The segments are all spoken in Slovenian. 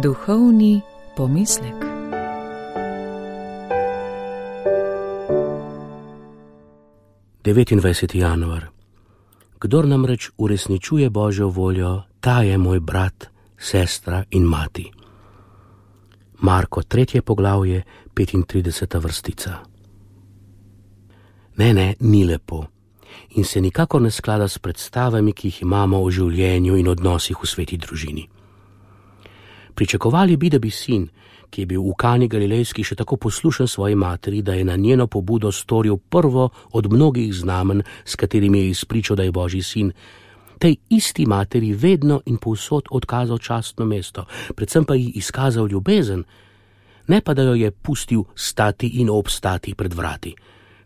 Duhovni pomislek. Devetindvajseti januar. Kdor namreč uresničuje Božjo voljo, ta je moj brat, sestra in mati. Marko 3. poglavje, 35. vrstica. Ne, ni lepo in se nikakor ne sklada s predstavami, ki jih imamo o življenju in odnosih v sveti družini. Pričakovali bi, da bi sin, ki je bil v Kani Galilejski še tako poslušen svoji materi, da je na njeno pobudo storil prvo od mnogih znamenj, s katerimi je izpričal, da je Božji sin, tej isti materi vedno in povsod odkazal častno mesto, predvsem pa ji izkazal ljubezen, ne pa da jo je pustil stati in obstati pred vrati,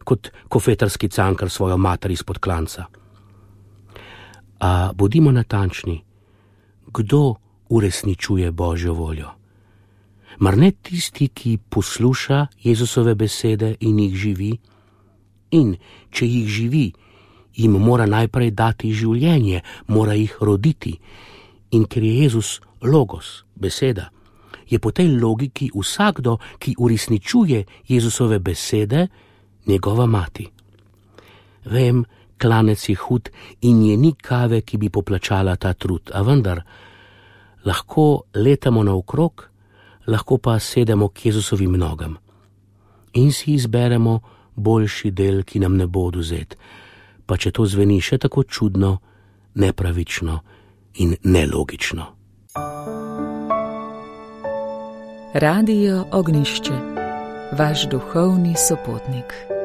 kot kofetarski cankar svojo mater izpod klanca. A bodimo natančni, kdo uresničuje Božjo voljo? Mar ne tisti, ki posluša Jezusove besede in jih živi? In če jih živi, jim mora najprej dati življenje, mora jih roditi. In ker je Jezus logos, beseda, je po tej logiki vsakdo, ki uresničuje Jezusove besede, njegova mati. Vem, klanec je hud in je ni kave, ki bi poplačala ta trud, a vendar lahko letamo naokrog, lahko pa sedemo k Jezusovim nogam in si izberemo boljši del, ki nam ne bo odvzet, pa če to zveni še tako čudno, nepravično in nelogično. Radio Ognjišče, vaš duhovni sopotnik.